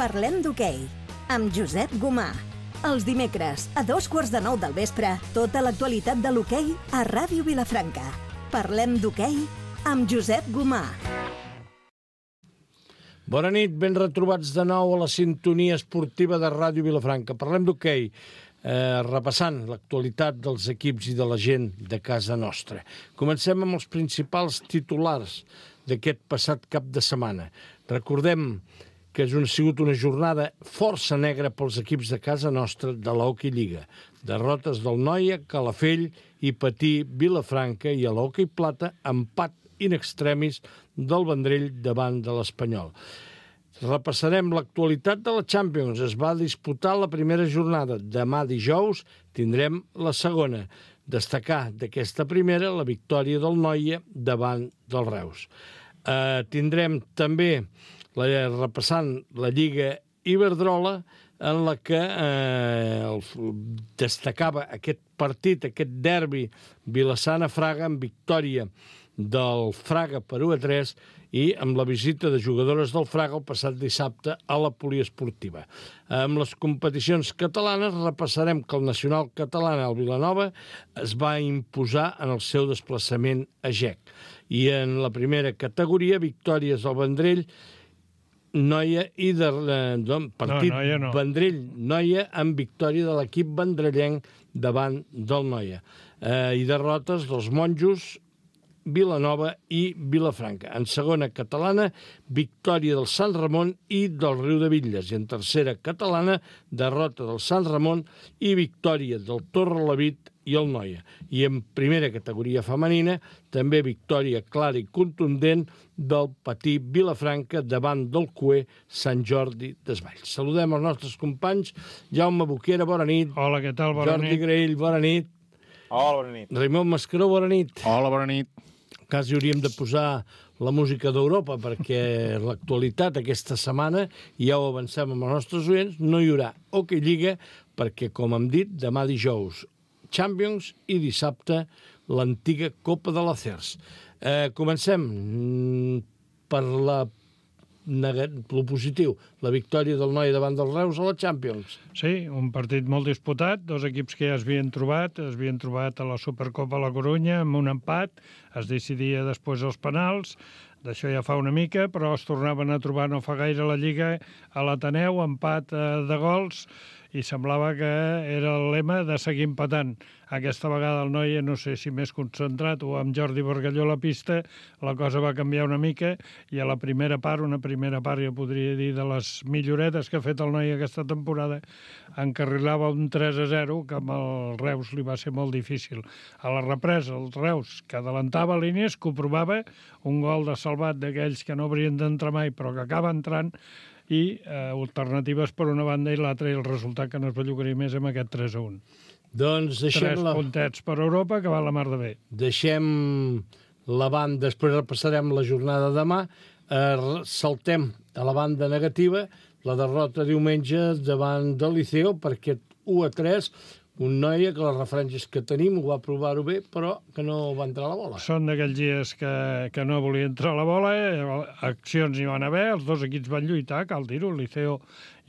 Parlem d'hoquei, amb Josep Gomà. Els dimecres, a 9:15 del vespre, tota l'actualitat de l'hoquei a Ràdio Vilafranca. Parlem d'hoquei amb Josep Gomà. Bona nit, ben retrobats de nou a la sintonia esportiva de Ràdio Vilafranca. Parlem d'hoquei, repassant l'actualitat dels equips i de la gent de casa nostra. Comencem amb els principals titulars d'aquest passat cap de setmana. Recordem que ha sigut una jornada força negra pels equips de casa nostra de l'Hockey Lliga. Derrotes del Noia, Calafell i Patí, Vilafranca, i a l'Hockey Plata, empat in extremis del Vendrell davant de l'Espanyol. Repassarem l'actualitat de la Champions. Es va disputar la primera jornada. Demà dijous tindrem la segona. Destacar d'aquesta primera la victòria del Noia davant del Reus. Tindrem també, repassant la Lliga Iberdrola, en la que destacava aquest partit, aquest derbi Vilassana-Fraga, amb victòria del Fraga per 1-3 i amb la visita de jugadores del Fraga el passat dissabte a la poliesportiva. Amb les competicions catalanes repassarem que el nacional català, el Vilanova, es va imposar en el seu desplaçament a GEC. I en la primera categoria, victòries del Vendrell, Noia i partit Vendrell-Noia amb victòria de l'equip vendrellenc davant del Noia. I derrotes dels Monjos, Vilanova i Vilafranca. En segona catalana, victòria del Sant Ramon i del Riu de Bitlles. I en tercera catalana, derrota del Sant Ramon i victòria del Torrelavit i el Noia. I en primera categoria femenina, també victòria clara i contundent del Patí Vilafranca davant del Cué Sant Jordi Desvalls. Saludem els nostres companys. Jaume Boquera, bona nit. Hola, què tal? Bona nit. Jordi Graell, bona nit. Hola, bona nit. Raimon Mascaró, bona nit. Hola, bona nit. Quasi hauríem de posar la música d'Europa, perquè l'actualitat aquesta setmana, i ja ho avancem amb els nostres oients, no hi haurà Hockey Lliga, perquè, com hem dit, demà dijous Champions i dissabte l'antiga Copa de l'Acers. Comencem per lo positiu, la victòria del Noia davant del Reus a la Champions. Sí, un partit molt disputat, dos equips que ja es havien trobat a la Supercopa a la Corunya amb un empat, es decidia després els penals, d'això ja fa una mica, però es tornaven a trobar no fa gaire a la Lliga a l'Ateneu, empat de gols, i semblava que era el lema de seguir empatant. Aquesta vegada el Noia, no sé si més concentrat o amb Jordi Bargalló a la pista, la cosa va canviar una mica, i a la primera part, jo podria dir, de les milloretes que ha fet el Noia aquesta temporada, encarrilava un 3-0, que amb el Reus li va ser molt difícil. A la represa, el Reus, que adelantava línies, que ho provava, un gol de salvat d'aquells que no haurien d'entrar mai, però que acaba entrant, i alternatives per una banda i l'altra, i el resultat que no es bellugaria més amb aquest 3-1. Doncs deixem 3 puntets per Europa, que va la mar de bé. Deixem la banda, després repassarem la jornada demà, saltem a la banda negativa, la derrota diumenge davant del Liceo, perquè 1-3, un Noia que les referències que tenim ho va provar-ho bé, però que no va entrar la bola. Són d'aquells dies que no volia entrar la bola, accions hi van haver, els dos equips van lluitar, cal dir-ho. El Liceo,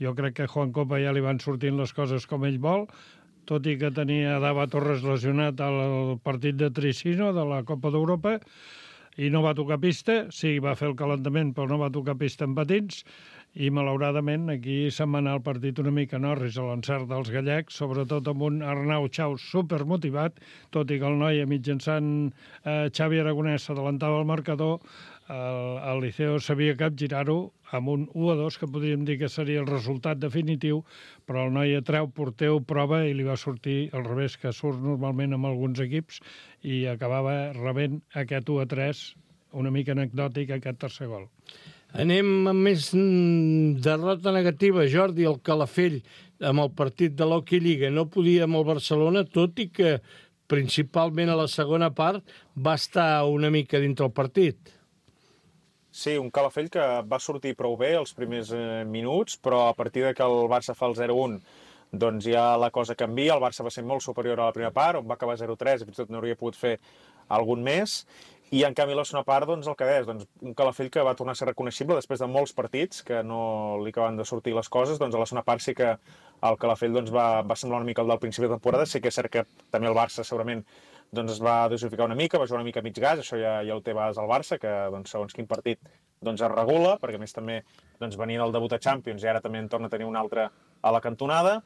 jo crec que a Juan Copa ja li van sortint les coses com ell vol, tot i que tenia Dava Torres lesionat al partit de Tricino de la Copa d'Europa, i no va tocar pista, sí, va fer el calentament, però no va tocar pista en patins, i malauradament aquí se'n va anar el partit una mica Norris a l'encert dels gallecs, sobretot amb un Arnau Xau supermotivat, tot i que el Noia mitjançant Xavi Aragonès s'adelantava al marcador, el Liceo sabia capgirar-ho amb un 1-2, que podríem dir que seria el resultat definitiu, però el Noia treu, porteu, prova, i li va sortir al revés que surt normalment amb alguns equips, i acabava rebent aquest 1-3, una mica anecdòtic, aquest tercer gol. Anem amb més derrota negativa, Jordi. El Calafell, amb el partit de l'Hockey Lliga, no podia amb el Barcelona, tot i que principalment a la segona part va estar una mica dintre el partit. Sí, un Calafell que va sortir prou bé els primers minuts, però a partir de que el Barça fa el 0-1, doncs ja la cosa canvia. El Barça va ser molt superior a la primera part, on va acabar 0-3, i fins i tot no hauria pogut fer algun més, I en canvi la segona part, doncs el que deies, doncs, un Calafell que va tornar a ser reconeixible després de molts partits que no li acaben de sortir les coses, doncs a la segona part sí que el Calafell doncs, va semblar una mica el del principi de temporada. Sí que és cert que també el Barça segurament doncs, es va dosificar una mica, va jugar una mica a mig gas, això ja ho té a vegades el Barça, que doncs, segons quin partit doncs, es regula, perquè a més també doncs, venien el debut a Champions i ara també en torna a tenir un altre a la cantonada.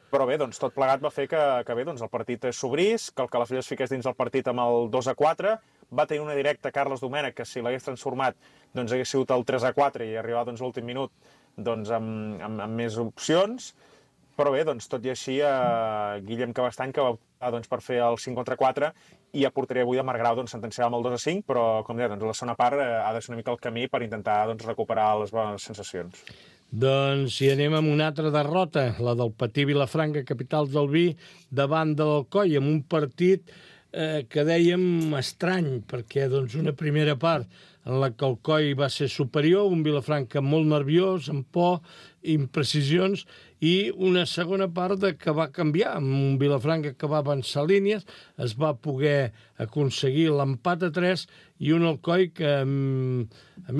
Però bé, doncs, tot plegat va fer que bé, doncs, el partit s'obrís, que el Calafell es fiqués dins el partit amb el 2-4, va tenir una directa Carles Domènech, que si l'hagués transformat doncs, hagués sigut el 3-4 i arribar doncs, l'últim minut doncs, amb més opcions. Però bé, doncs, tot i així, Guillem Cabestany, que va optar doncs, per fer el 5-4 i a porteria avui de Marc Grau doncs, sentenciava amb el 2-5, però, com deia, doncs, la segona part ha de ser una mica el camí per intentar doncs, recuperar les bones sensacions. Doncs si anem amb una altra derrota, la del Patí Vilafranca, capital del vi, davant de l'Alcoi, amb un partit que dèiem estrany, perquè doncs, una primera part en la que el Coi va ser superior, un Vilafranca molt nerviós, amb por, imprecisions, i una segona part que va canviar, amb un Vilafranca que va avançar línies, es va poder aconseguir l'empat a 3 i un Alcoi que a mi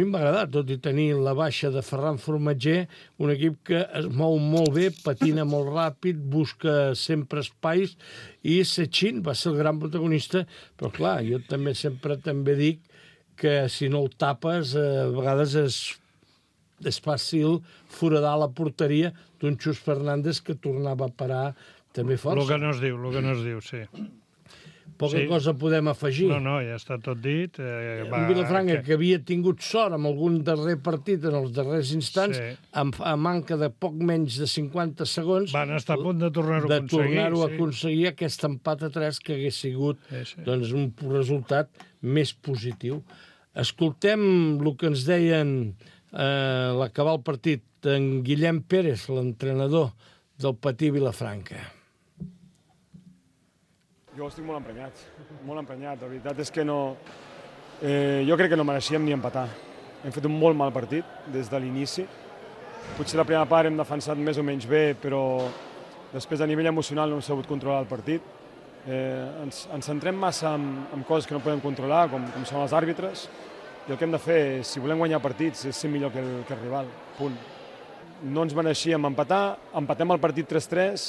em va agradar, tot i tenir la baixa de Ferran Formatger, un equip que es mou molt bé, patina molt ràpid, busca sempre espais, i Sechín va ser el gran protagonista, però clar, jo també sempre dic que si no el tapes, a vegades és fàcil foradar la porteria d'un Xus Fernández que tornava a parar també força. El que no es diu, sí. Poca cosa podem afegir. No, ja està tot dit. Un Vilafranca que havia tingut sort amb algun darrer partit en els darrers instants, a manca de poc menys de 50 segons... Van estar a punt de tornar-ho a aconseguir aquest empat a 3 que hagués sigut doncs, un resultat més positiu. Escoltem el que ens deien l'acabar el partit en Guillem Pérez, l'entrenador del Patí Vilafranca. Jo estic molt emprenyat. La veritat és que no... jo crec que no mereixíem ni empatar. Hem fet un molt mal partit des de l'inici. Potser la primera part hem defensat més o menys bé, però després a nivell emocional no hem sabut controlar el partit. Ens centrem massa en coses que no podem controlar, com són els àrbitres, i el que hem de fer, si volem guanyar partits, és ser millor que el rival. Punt. No ens mereixíem empatar, empatem el partit 3-3,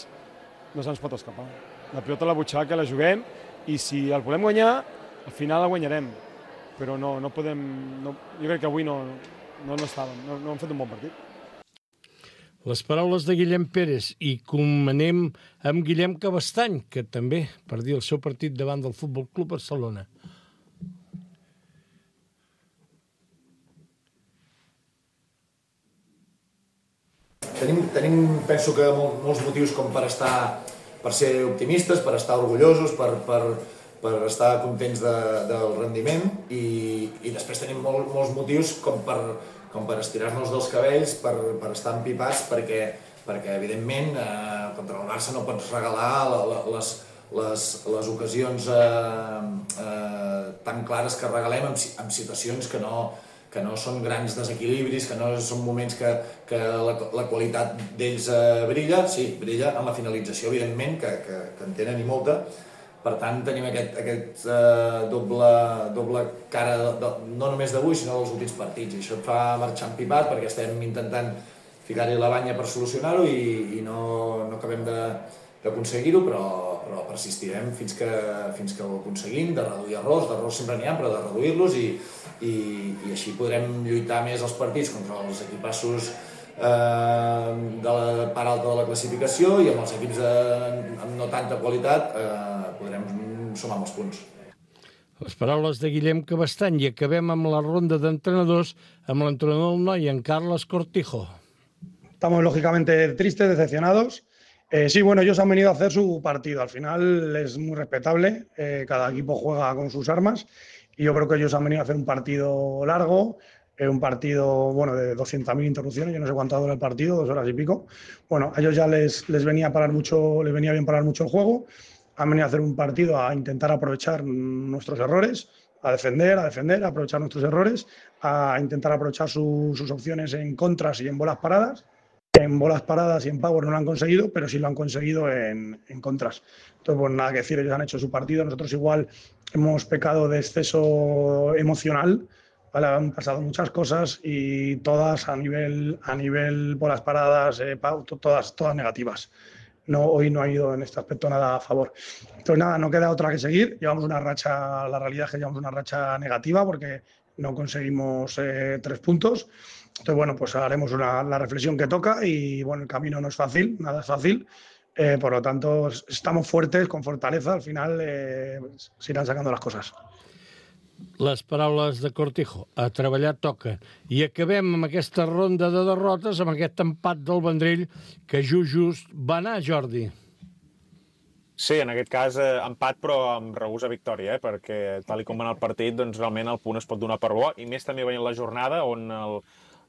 no se'ns pot escapar. La pilota a la butxaca la juguem i si el volem guanyar, al final la guanyarem. Però no podem... jo crec que avui no estàvem, no hem fet un bon partit. Les paraules de Guillem Pérez i anem amb Guillem Cabestany, que també perdia el seu partit davant del Futbol Club Barcelona. Tenim, penso que molts motius com per ser optimistes, per estar orgullosos, per estar contents del rendiment i després tenim molts motius com per estirar-nos dels cabells, per estar empipats, perquè evidentment contra el Barça no pots regalar les ocasions tan clares que regalem en situacions que no són grans desequilibris, que no són moments que la qualitat d'ells brilla, sí, brilla en la finalització, evidentment, que en tenen i molta. Per tant, tenim aquest doble cara, no només d'avui, sinó dels últims partits. I això et fa marxar empipat perquè estem intentant ficar-hi la banya per solucionar-ho i no acabem d'aconseguir-ho, però persistirem fins que ho aconseguim, de reduir d'errors sempre n'hi ha, però de reduir-los i així podrem lluitar més els partits contra els equipassos de la part alta de la classificació i amb els equips amb no tanta qualitat podrem sumar molts punts. Les paraules de Guillem Cabestany i acabem amb la ronda d'entrenadors amb l'entrenador del Noi, en Carles Cortijo. Estamos lógicamente tristes, decepcionados. Sí, bueno, ellos han venido a hacer su partido. Al final es muy respetable, cada equipo juega con sus armas y yo creo que ellos han venido a hacer un partido largo, un partido de 200.000 interrupciones, yo no sé cuánto dura el partido, 2 horas y pico. Bueno, a ellos ya les venía bien parar mucho el juego, han venido a hacer un partido a intentar aprovechar nuestros errores, a defender, a aprovechar nuestros errores, a intentar aprovechar sus opciones en contras y en bolas paradas. En bolas paradas y en power no lo han conseguido, pero sí lo han conseguido en contras. Entonces, pues nada que decir, ellos han hecho su partido. Nosotros igual hemos pecado de exceso emocional, ¿vale? Han pasado muchas cosas y todas a nivel bolas paradas, todas negativas. No, hoy no ha ido en este aspecto nada a favor. Entonces nada, no queda otra que seguir. Llevamos una racha, la realidad es que llevamos una racha negativa porque no conseguimos 3 puntos. Entonces, bueno, pues haremos la reflexión que toca y, bueno, el camino no es fácil, nada es fácil. Por lo tanto, estamos fuertes, con fortaleza. Al final se irán sacando las cosas. Les paraules de Cortijo. A treballar toca. I acabem amb aquesta ronda de derrotes, amb aquest empat del Vendrell, que just va anar, Jordi. Sí, en aquest cas empat, però amb regust a victòria, perquè tal com va anar el partit, doncs realment el punt es pot donar per bo, i més també veient la jornada, on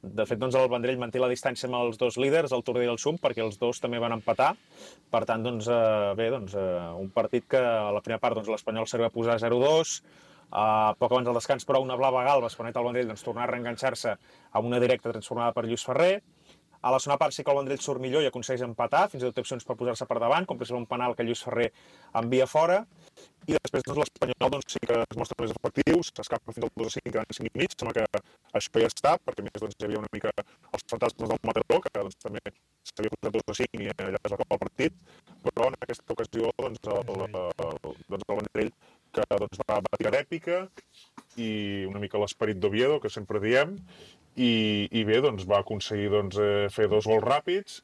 de fet doncs el Vendrell manté la distància amb els dos líders, el Tordera i el Sum, perquè els dos també van empatar. Per tant, doncs, un partit que a la primera part l'Espanyol s'arriba a posar 0-2, poc abans del descans, però una blava galba es permet al Vendrell tornar a reenganxar-se amb una directa transformada per Lluís Ferrer. A la segona part sí que el Vendrell surt millor i aconsegueix empatar, fins i tot té opcions per posar-se per davant, com per exemple un penal que Lluís Ferrer envia fora, i després l'Espanyol sí que es mostra més efectiu, s'escapa fins al 2-5, quedant 5 i mig, sembla que això ja està, perquè a més hi havia una mica els fantasmes del Mataró, que també s'havia posat 2-5 i allà es va acabar el partit, però en aquesta ocasió el Vendrell que va tirar d'èpica i una mica l'esperit d'Oviedo, que sempre diem, i bé, va aconseguir fer 2 gols ràpids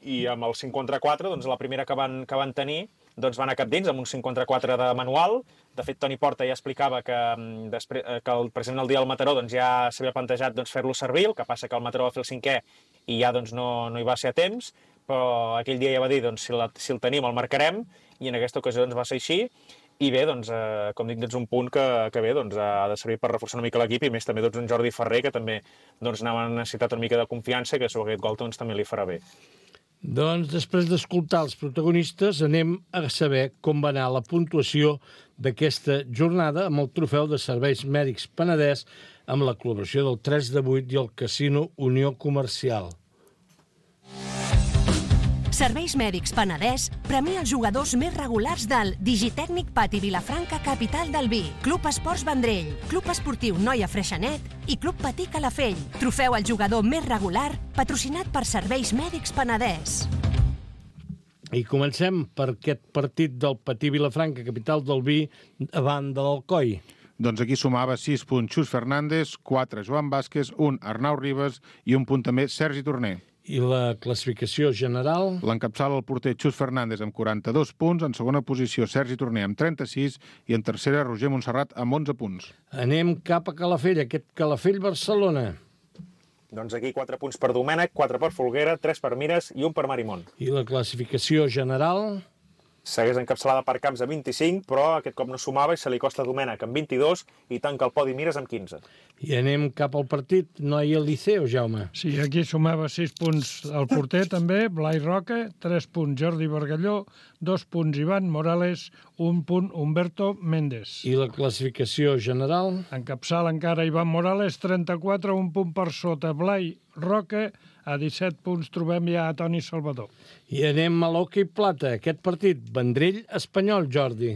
i amb el 5 contra 4, la primera que van tenir, va anar cap dins amb un 5 contra 4 de manual. De fet, Toni Porta ja explicava que precisament el dia del Mataró ja s'havia plantejat fer-lo servir, el que passa que el Mataró va fer el 5è i ja no hi va ser a temps, però aquell dia ja va dir si el tenim el marcarem, i en aquesta ocasió va ser així. I bé, com dic, un punt que bé, ha de servir per reforçar una mica l'equip, i més també un Jordi Ferrer, que també anava a necessitar una mica de confiança, i que sobre aquest gol també li farà bé. Doncs després d'escoltar els protagonistes anem a saber com va anar la puntuació d'aquesta jornada amb el trofeu de Serveis Mèdics Penedès amb la col·laboració del 3 de 8 i el Casino Unió Comercial. Serveis Mèdics Penedès premia els jugadors més regulars del Digitècnic Pati Vilafranca, capital del vi, Club Esports Vendrell, Club Esportiu Noia Freixenet i Club Patí Calafell. Trofeu al jugador més regular, patrocinat per Serveis Mèdics Penedès. I comencem per aquest partit del Patí Vilafranca, capital del vi, davant de l'Alcoi. Doncs aquí sumava 6 punts Xus Fernández, 4 Joan Vázquez, 1 Arnau Ribas i un punt també Sergi Torner. I la classificació general? L'encapçala el porter Xus Fernández amb 42 punts, en segona posició Sergi Torner amb 36 i en tercera Roger Montserrat amb 11 punts. Anem cap a Calafell, aquest Calafell-Barcelona. Doncs aquí 4 punts per Domènec, 4 per Folguera, 3 per Mires i 1 per Marimón. I la classificació general? Segueix encapçalada per Camps amb 25, però aquest cop no sumava i se li costa Domènec amb 22 i tanca el podi Mires amb 15. I anem cap al partit Noia Liceo, Jaume. Sí, aquí sumava 6 punts el porter també, Blai Roca, 3 punts Jordi Bargalló, 2 punts Ivan Morales, 1 punt Humberto Méndez. I la classificació general? Encapçala encara Ivan Morales, 34, 1 punt per sota Blai Roca, a 17 punts trobem ja a Toni Salvador. I anem a l'hoquei plata, aquest partit, Vendrell-Espanyol, Jordi.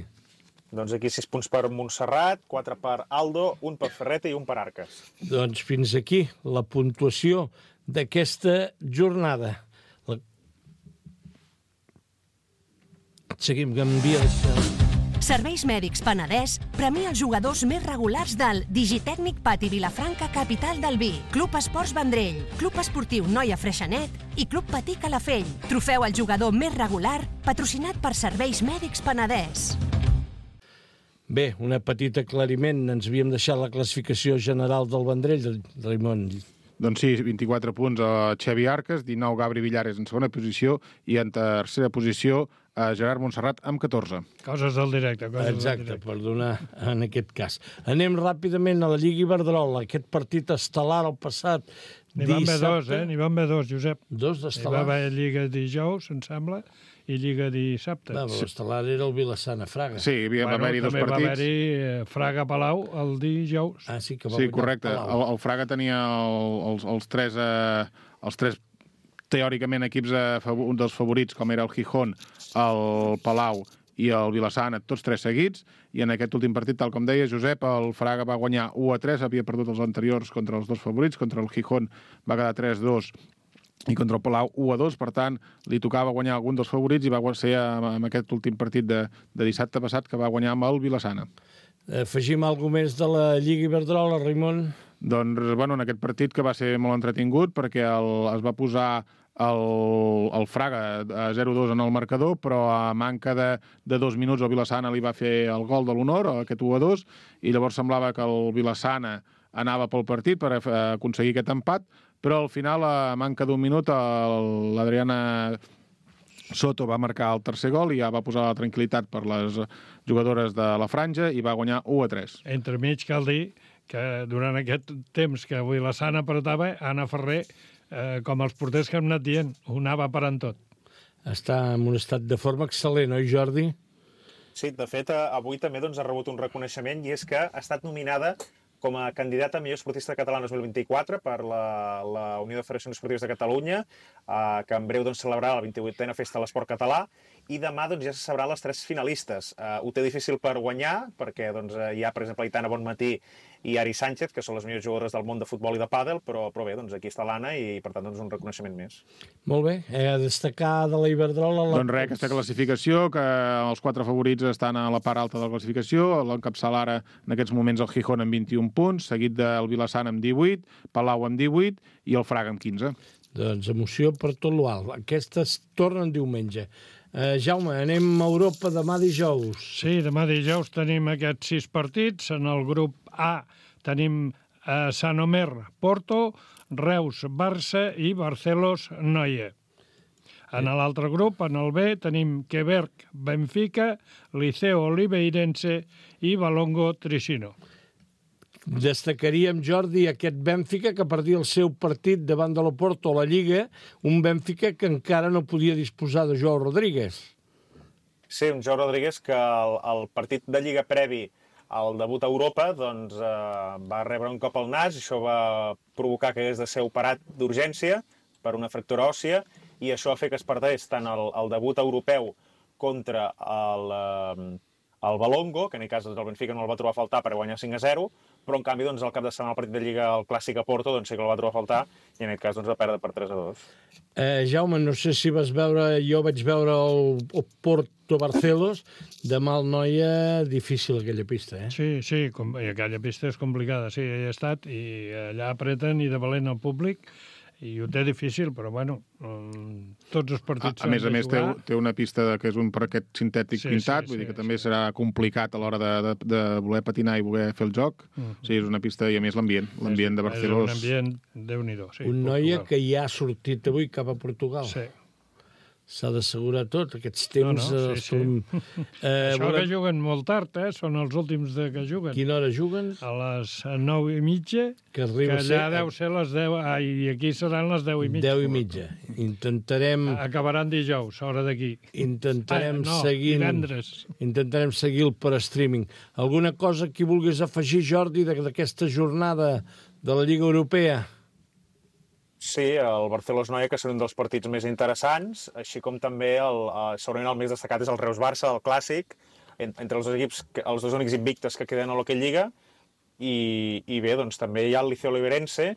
Doncs aquí 6 punts per Montserrat, 4 per Aldo, 1 per Ferreta i 1 per Arques. Doncs fins aquí la puntuació d'aquesta jornada. Seguim, canvies. Serveis Mèdics Penedès premia els jugadors més regulars del Digitècnic Pati Vilafranca, capital del vi, Club Esports Vendrell, Club Esportiu Noia Freixenet i Club Patí Calafell. Trofeu al jugador més regular, patrocinat per Serveis Mèdics Penedès. Bé, un petit aclariment. Ens havíem deixat la classificació general del Vendrell, Raimon. Doncs sí, 24 punts a Xavi Arques, 19 Gabri Villares en segona posició i en tercera posició a Gerard Montserrat amb 14. Coses del directe. Exacte, per donar en aquest cas. Anem ràpidament a la Lliga Iberdrola, aquest partit estel·lar el passat N'hi van haver dissabte. dos, N'hi van haver dos, Josep. Dos Hi va d'estel·lar. haver Lliga dijous, em sembla, i Lliga dissabte. L'estel·lar era el Vilassana-Fraga. Sí, va haver-hi dos també partits. va haver-hi Fraga-Palau el dijous. Ah, sí, que va Sí, guanyar correcte. Palau. El Fraga tenia els tres teòricament equips un dels favorits, com era el Gijón, el Palau i el Vilassana, tots 3 seguits, i en aquest últim partit, tal com deia Josep, el Fraga va guanyar 1-3, havia perdut els anteriors contra els 2 favorits, contra el Gijón va quedar 3-2 i contra el Palau 1-2, per tant, li tocava guanyar algun dels favorits i va ser en aquest últim partit de dissabte passat que va guanyar amb el Vilassana. Afegim alguna més de la Lliga Iberdrola, Raimon? Doncs, bueno, en aquest partit que va ser molt entretingut perquè es va posar el Fraga a 0-2 en el marcador, però a manca de 2 minuts el Vilassana li va fer el gol de l'honor, aquest 1-2, i llavors semblava que el Vilassana anava pel partit per aconseguir aquest empat, però al final, a manca d'1 minut, l'Adriana Soto va marcar el tercer gol i ja va posar la tranquil·litat per les jugadores de la franja i va guanyar 1-3. Entremig cal dir que durant aquest temps que avui la Sana apretava, Anna Ferrer, com els porters que hem anat dient, ho anava parant tot. Està en un estat de forma excel·lent, oi, Jordi? Sí, de fet, avui també ha rebut un reconeixement i és que ha estat nominada com a candidata a millor esportista català 2024 per la Unió de Federacions Esportives de Catalunya, que en breu celebrarà la 28a Festa de l'Esport Català, i demà ja se sabran les 3 finalistes. Ho té difícil per guanyar, perquè hi ha, per exemple, Aitana Bonmatí i Ari Sánchez, que són les millors jugadores del món de futbol i de pàdel, però bé, aquí està l'Anna i, per tant, un reconeixement més. Molt bé. A destacar de la Iberdrola... Doncs res, aquesta classificació, que els 4 favorits estan a la part alta de la classificació, l'encapçala ara, en aquests moments, el Gijón amb 21 punts, seguit del Vilassana amb 18, Palau amb 18 i el Fraga amb 15. Doncs emoció per tot l'alt. Aquestes tornen diumenge. Jaume, anem a Europa demà dijous. Sí, demà dijous tenim aquests 6 partits. En el grup A tenim Sant Omer, Porto, Reus, Barça i Barcelos, Noia. En l'altre grup, en el B, tenim Quebec, Benfica, Liceo Oliveirense i Valongo Tricino. Destacaríem, Jordi, aquest Benfica que perdia el seu partit davant de l'Oporto a la Lliga, un Benfica que encara no podia disposar de Joao Rodríguez. Sí, un Joao Rodríguez que el partit de Lliga previ al debut a Europa va rebre un cop al nas, i això va provocar que hagués de ser operat d'urgència per una fractura òssia, i això va fer que es perdés tant el debut europeu contra el Valongo, que en aquest cas el Benfica no el va trobar a faltar per guanyar 5-0, però en canvi al cap de setmana el partit de Lliga, el clàssic a Porto, sí que el va trobar a faltar, i en aquest cas va perdre per 3-2. Jaume, no sé si vas veure, jo vaig veure el Porto Barcelos, de mal noia, difícil aquella pista, eh? Sí, aquella pista és complicada, sí, he estat, i allà apreten i de valent el públic, i ho té difícil, però bueno, tots els partits... A més, té una pista que és un parquet sintètic pintat, vull dir que també serà complicat a l'hora de voler patinar i voler fer el joc. Sí, és una pista, i a més l'ambient de Barcelona... És un ambient, Déu-n'hi-do, sí. Un noia que ja ha sortit avui cap a Portugal. Sí. S'ha d'assegurar tot, aquests temps... Sí. Això que juguen molt tard, són els últims que juguen. Quina hora juguen? A les 9:30, que allà deu ser les 10, i aquí seran les 10:30. 10:30. Intentarem... Acabaran dijous, hora d'aquí. Intentarem divendres. Intentarem seguir-lo per streaming. Alguna cosa que vulguis afegir, Jordi, d'aquesta jornada de la Lliga Europea? Sí, el Barcelona-Noia, que són un dels partits més interessants, així com també segurament el més destacat és el Reus-Barça, el clàssic, entre els dos equips, els dos únics invictes que queden a l'Hockey Lliga, i bé, també hi ha el Liceo Oliveirense,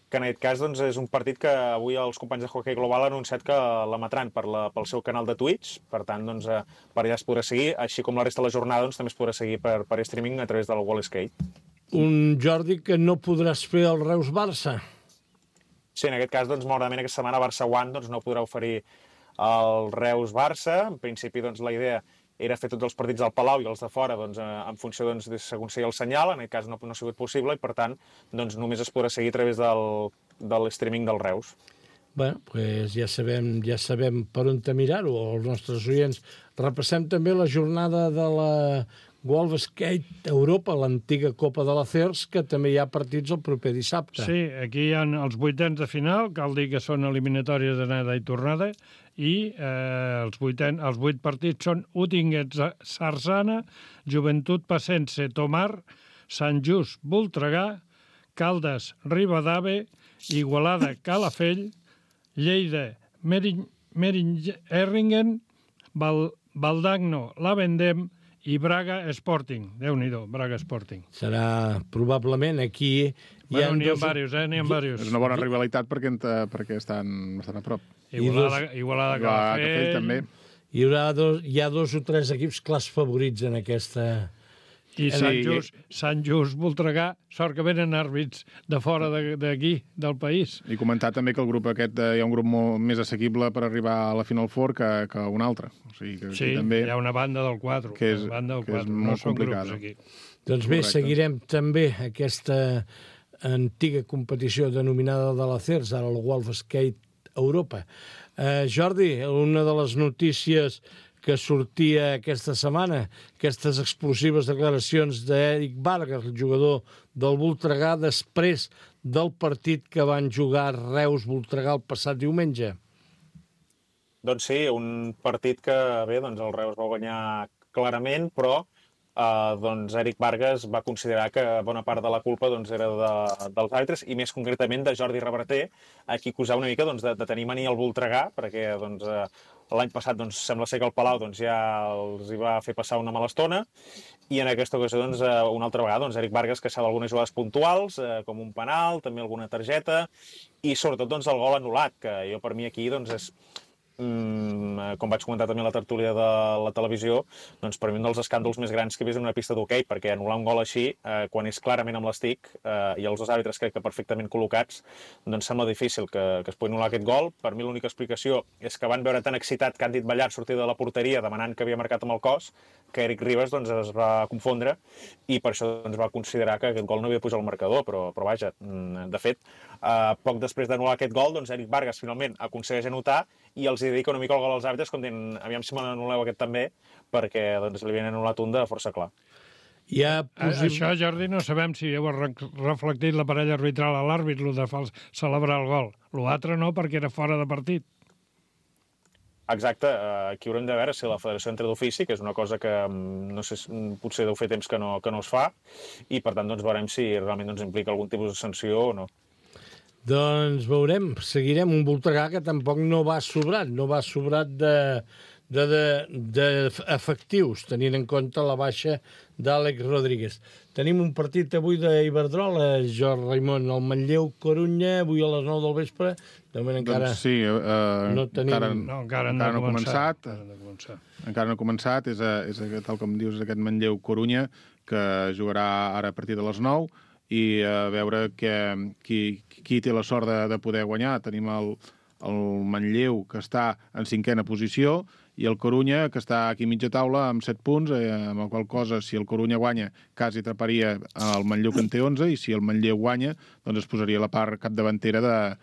que en aquest cas és un partit que avui els companys de Hockey Global han anunciat que l'emetran pel seu canal de Twitch, per tant, per allà es podrà seguir, així com la resta de la jornada també es podrà seguir per streaming a través del Wall Skate. Un Jordi que no podràs fer el Reus-Barça. Sí, en aquest cas, malauradament, aquesta setmana Barça One no podrà oferir el Reus-Barça. En principi, la idea era fer tots els partits al Palau i els de fora en funció de segons sigui el senyal. En aquest cas no ha sigut possible i, per tant, només es podrà seguir a través del streaming del Reus. Bé, doncs ja sabem per on mirar-ho, els nostres oients. Repassem també la jornada de la World Skate Europa, l'antiga Copa de la CERS, que també hi ha partits el proper dissabte. Sí, aquí hi ha els 8ens de final, cal dir que són eliminatòries d'anada i tornada, i els 8 partits són Utinguet-Sarzana, Joventut Passense, Tomar, Sant Just, Voltregà, Caldes, Ribadave, Igualada, Calafell, Lleida, Meiringen, Valdagno, la Vendem i Braga Sporting. Déu-n'hi-do, Braga Sporting. Serà probablement aquí... N'hi ha diversos. És una bona rivalitat perquè estan bastant a prop. Igualada Calafell també. Hi ha 2 o 3 equips clars favorits en aquesta... I Sant Just, Voltregà, sort que venen àrbits de fora d'aquí, del país. I comentar també que el grup aquest hi ha un grup molt més assequible per arribar a la Final Four que un altre. O sigui, que sí, també hi ha una banda del 4. Que és molt complicada. Doncs bé, seguirem també aquesta antiga competició denominada de l'Acers, ara el Wolf Skate Europa. Jordi, una de les notícies que sortia aquesta setmana, aquestes explosives declaracions d'Eric Vargas, el jugador del Voltregà, després del partit que van jugar Reus-Voltregà el passat diumenge. Doncs sí, un partit que, bé, doncs el Reus va guanyar clarament, però doncs Eric Vargas va considerar que bona part de la culpa doncs, era dels àrbitres i més concretament de Jordi Reverter, a qui acusava una mica doncs, de tenir mania al Voltregà, perquè doncs, l'any passat doncs, sembla ser que el Palau doncs, ja els hi va fer passar una mala estona i en aquesta ocasió doncs, una altra vegada doncs, Eric Vargas queixava algunes jugades puntuals, com un penal, també alguna targeta i sobretot doncs, el gol anul·lat, que jo per mi aquí doncs, és com vaig comentar també a la tertúlia de la televisió, doncs per mi un dels escàndols més grans que he vist en una pista d'hoquei, perquè anul·lar un gol així, quan és clarament amb l'estic, i els dos àrbitres crec que perfectament col·locats, doncs sembla difícil que es pugui anul·lar aquest gol. Per mi l'única explicació és que van veure tan excitat que han dit Ballart sortir de la porteria demanant que havia marcat amb el cos, que Eric Ribas doncs, es va confondre i per això doncs, va considerar que aquest gol no havia pujat al marcador, però vaja, de fet, poc després d'anul·lar aquest gol, doncs Eric Vargas finalment aconsegueix anotar i els dedica una mica el gol als àrbitres com dient, aviam si me n'anul·leu aquest també, perquè doncs, li havien anul·lat un de força clar. Això, Jordi, no sabem si heu reflectit l'aparell arbitral a l'àrbit, el de celebrar el gol. L'altre no, perquè era fora de partit. Exacte, aquí haurem de veure si la federació entra d'ofici, que és una cosa que no sé, potser deu fer temps que no es fa, i per tant doncs, veurem si realment doncs, implica algun tipus de sanció o no. Doncs veurem, seguirem un Voltregà que tampoc no va sobrat d'efectius, tenint en compte la baixa d'Àlex Rodríguez. Tenim un partit avui d'Iberdrola, Jordi Raimon, el Manlleu-Corunya, avui a les 9 del vespre. De moment encara doncs sí, no tenim... encara no ha començat. Encara no ha començat, és tal com dius, aquest Manlleu-Corunya, que jugarà ara a partir de les 9, i a veure qui té la sort de poder guanyar. Tenim el Manlleu, que està en 5a posició, i el Corunya, que està aquí mitja taula amb 7 punts, amb la qual cosa, si el Corunya guanya, quasi atraparia el Manlleu, que en té 11, i si el Manlleu guanya, doncs es posaria la part capdavantera de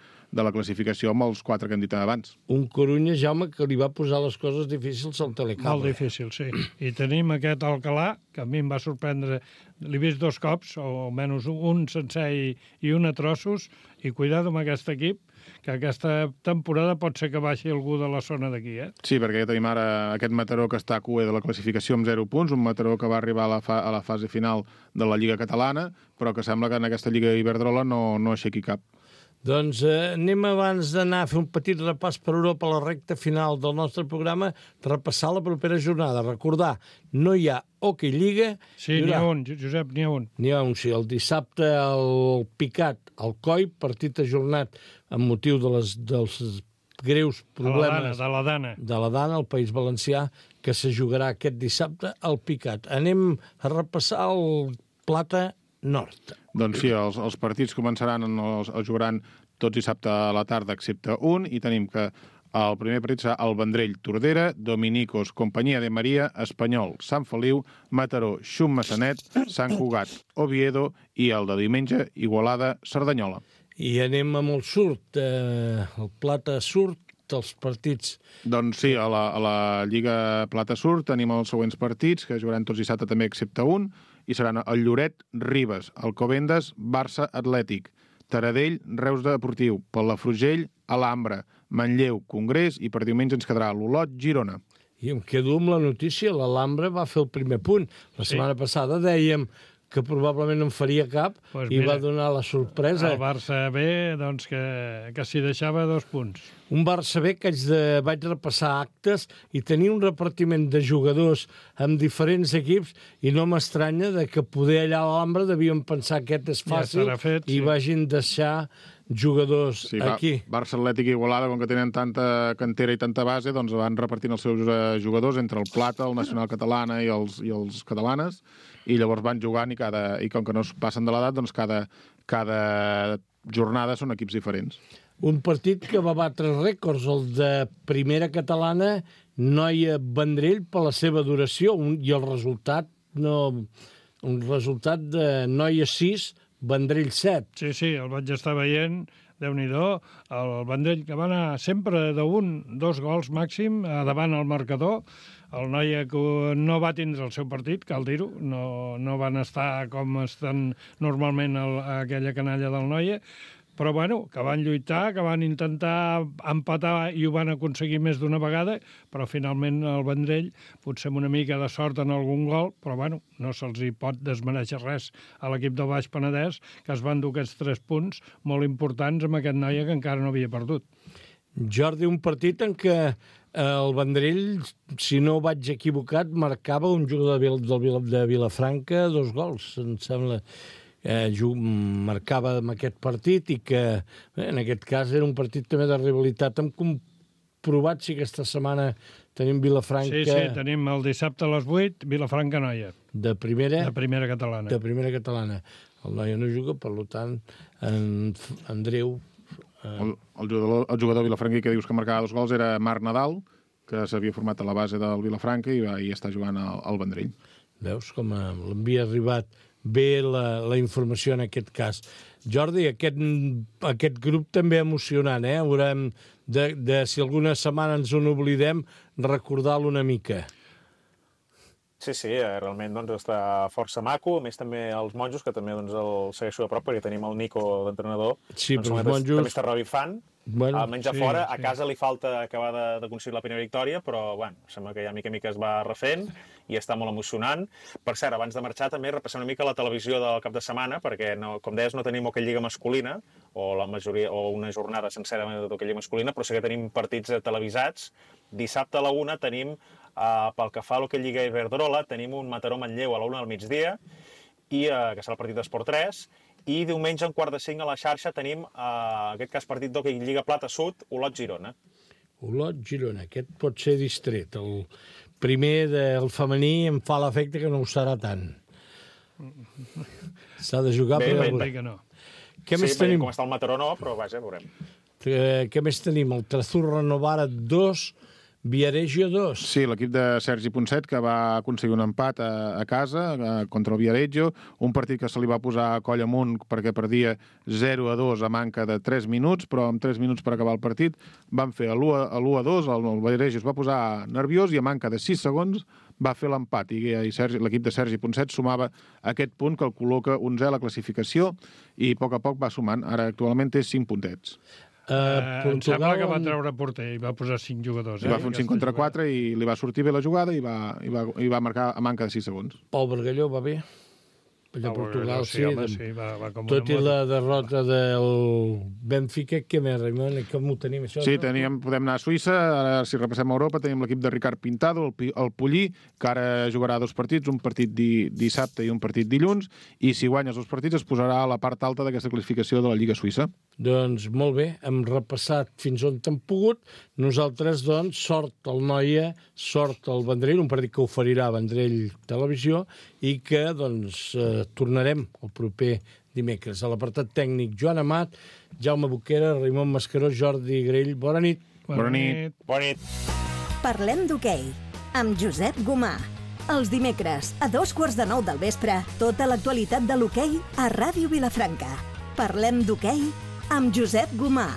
la classificació amb els 4 que hem dit abans. Un Corunya, Jaume, que li va posar les coses difícils al Telecable. Molt difícil, sí. I tenim aquest Alcalà, que a mi em va sorprendre. L'he vist 2 cops, o almenys un sencer i un a trossos, i cuidado amb aquest equip, que aquesta temporada pot ser que baixi algú de la zona d'aquí, eh? Sí, perquè ja tenim ara aquest Mataró que està a cua de la classificació amb 0 punts, un Mataró que va arribar a la fase final de la Lliga Catalana, però que sembla que en aquesta Lliga Iberdrola no aixequi cap. Doncs anem abans d'anar a fer un petit repàs per Europa a la recta final del nostre programa, repassar la propera jornada. Recordar, no hi ha Hockey Lliga. Sí, n'hi ha un, Josep, n'hi ha un. N'hi ha un, sí. El dissabte el Picat, el Coi, partit ajornat amb motiu dels greus problemes de la Dana, al País Valencià, que se jugarà aquest dissabte al Picat. Anem a repassar el Plata Nord. Doncs sí, els partits començaran, els jugaran tots dissabte a la tarda, excepte un, i tenim que el primer partit serà el Vendrell-Tordera, Dominicos, Companyia de Maria, Espanyol, Sant Feliu, Mataró, Xum-Massanet, Sant Cugat, Oviedo, i el de diumenge, Igualada-Cerdanyola. I anem amb el surt, el Plata surt, els partits. Doncs sí, a la Lliga Plata Surt tenim els següents partits, que jugaran tots dissabte també, excepte un, i seran el Lloret, Ribes, Alcobendas, Barça, Atlètic, Taradell, Reus Deportiu, Palafrugell, Alhambra, Manlleu, Congrés, i per diumenge ens quedarà l'Olot, Girona. I em quedo amb la notícia, l'Alhambra va fer el primer punt. La setmana passada dèiem que probablement no en faria cap, i va donar la sorpresa. El Barça B, doncs, que s'hi deixava 2 punts. Un Barça B que vaig repassar actes i tenir un repartiment de jugadors amb diferents equips i no m'estranya de que poder allà a l'Ambra devien pensar que aquest és fàcil i vagin deixar jugadors aquí. Barça Atlètic i Igualada, com que tenen tanta cantera i tanta base, doncs van repartint els seus jugadors entre el Plata, el Nacional Catalana i els catalanes, i llavors van jugant i com que no es passen de l'edat, doncs cada jornada són equips diferents. Un partit que va batre rècords, el de primera catalana, Noia Vendrell, per la seva duració, i el resultat un resultat de Noia 6, Vendrell 7. Sí, el vaig estar veient, Déu-n'hi-do, el Vendrell que va anar sempre dos gols màxim davant el marcador. El Noia que no va tindre el seu partit, cal dir-ho, no van estar com estan normalment aquella canalla del Noia, però bueno, que van lluitar, que van intentar empatar i ho van aconseguir més d'una vegada, però finalment el Vendrell, potser amb una mica de sort en algun gol, però bueno, no se'ls hi pot desmereixer res a l'equip del Baix Penedès, que es van dur aquests 3 punts molt importants amb aquest Noia que encara no havia perdut. Jordi, un partit en què el Vendrell, si no vaig equivocat, marcava un jugador de Vilafranca 2 gols, em sembla. Marcava amb aquest partit i que en aquest cas era un partit també de rivalitat. Hem comprovat si aquesta setmana tenim Vilafranca... Sí, tenim el dissabte a les 8, Vilafranca-Noia. De primera? De primera catalana. De primera catalana. El Noia no juga, per tant, Andreu... El jugador Vilafranca que dius que marcava 2 gols era Marc Nadal, que s'havia format a la base del Vilafranca i està jugant al Vendrell. Veus com l'havia arribat bé la informació en aquest cas. Jordi, aquest grup també emocionant, eh? Haurem si alguna setmana ens en oblidem, recordar-lo una mica. Sí, realment està força maco. A més, també els monjos, que també el segueixo de prop, perquè tenim el Nico d'entrenador. Sí, però els monjos... També està revifant. Almenys a fora, a casa li falta acabar d'aconseguir la primera victòria, però sembla que ja mica en mica es va refent i està molt emocionant. Per cert, abans de marxar també repassem una mica la televisió del cap de setmana, perquè, com deies, no tenim Hockey Lliga masculina, o una jornada sencera d'Hockey Lliga masculina, però sí que tenim partits televisats. Dissabte a la 1 tenim, pel que fa a l'Hockey Lliga Iberdrola, tenim un Mataró-Manlleu a la 1 del migdia, que serà el partit d'Esport 3, i diumenge, a 4:45 a la xarxa, tenim, en aquest cas, partit d'Hockey Lliga Plata-Sud, Olot-Girona. Olot-Girona, aquest pot ser distret. El primer del femení em fa l'efecte que no ho serà tant. S'ha de jugar per veure. Que no. Què més tenim? Com està el Mataró no, però vaja, veurem. Què més tenim? El Trezurra Novara 2, Viareggio 2. Sí, l'equip de Sergi Ponset, que va aconseguir un empat a casa contra el Viareggio, un partit que se li va posar a coll amunt perquè perdia 0-2 a manca de 3 minuts, però amb 3 minuts per acabar el partit van fer l'1-2, el Viareggio es va posar nerviós i a manca de 6 segons va fer l'empat i l'equip de Sergi Ponset sumava aquest punt que el col·loca 11è a la classificació i a poc va sumant. Ara actualment té 5 puntets. Em sembla que va treure porter i va posar 5 jugadors. Va fer un 5 contra 4 i li va sortir bé la jugada i va marcar a manca de 6 segons. Pau Bargalló va bé? Allà a Portugal, sí. Va com tot i la derrota del Benfica, què més, Raimon? Com ho tenim, això? Sí, podem anar a Suïssa. Ara, si repassem a Europa, tenim l'equip de Ricard Pintado, el Pollí, que ara jugarà 2 partits, un partit dissabte i un partit dilluns, i si guanya els 2 partits es posarà a la part alta d'aquesta classificació de la Lliga Suïssa. Doncs molt bé, hem repassat fins on hem pogut. Nosaltres, doncs, sort al Noia, sort al Vendrell, un partit que oferirà Vendrell Televisió, i que, doncs, tornarem el proper dimecres. A l'apartat tècnic, Joan Amat, Jaume Boquera, Raimon Mascaró, Jordi Grell. Bona nit. Bona nit. Bona nit. Parlem d'hoquei, amb Josep Gomà. Els dimecres, a 9:15 del vespre, tota l'actualitat de l'hoquei a Ràdio Vilafranca. Parlem d'hoquei amb Josep Gomà.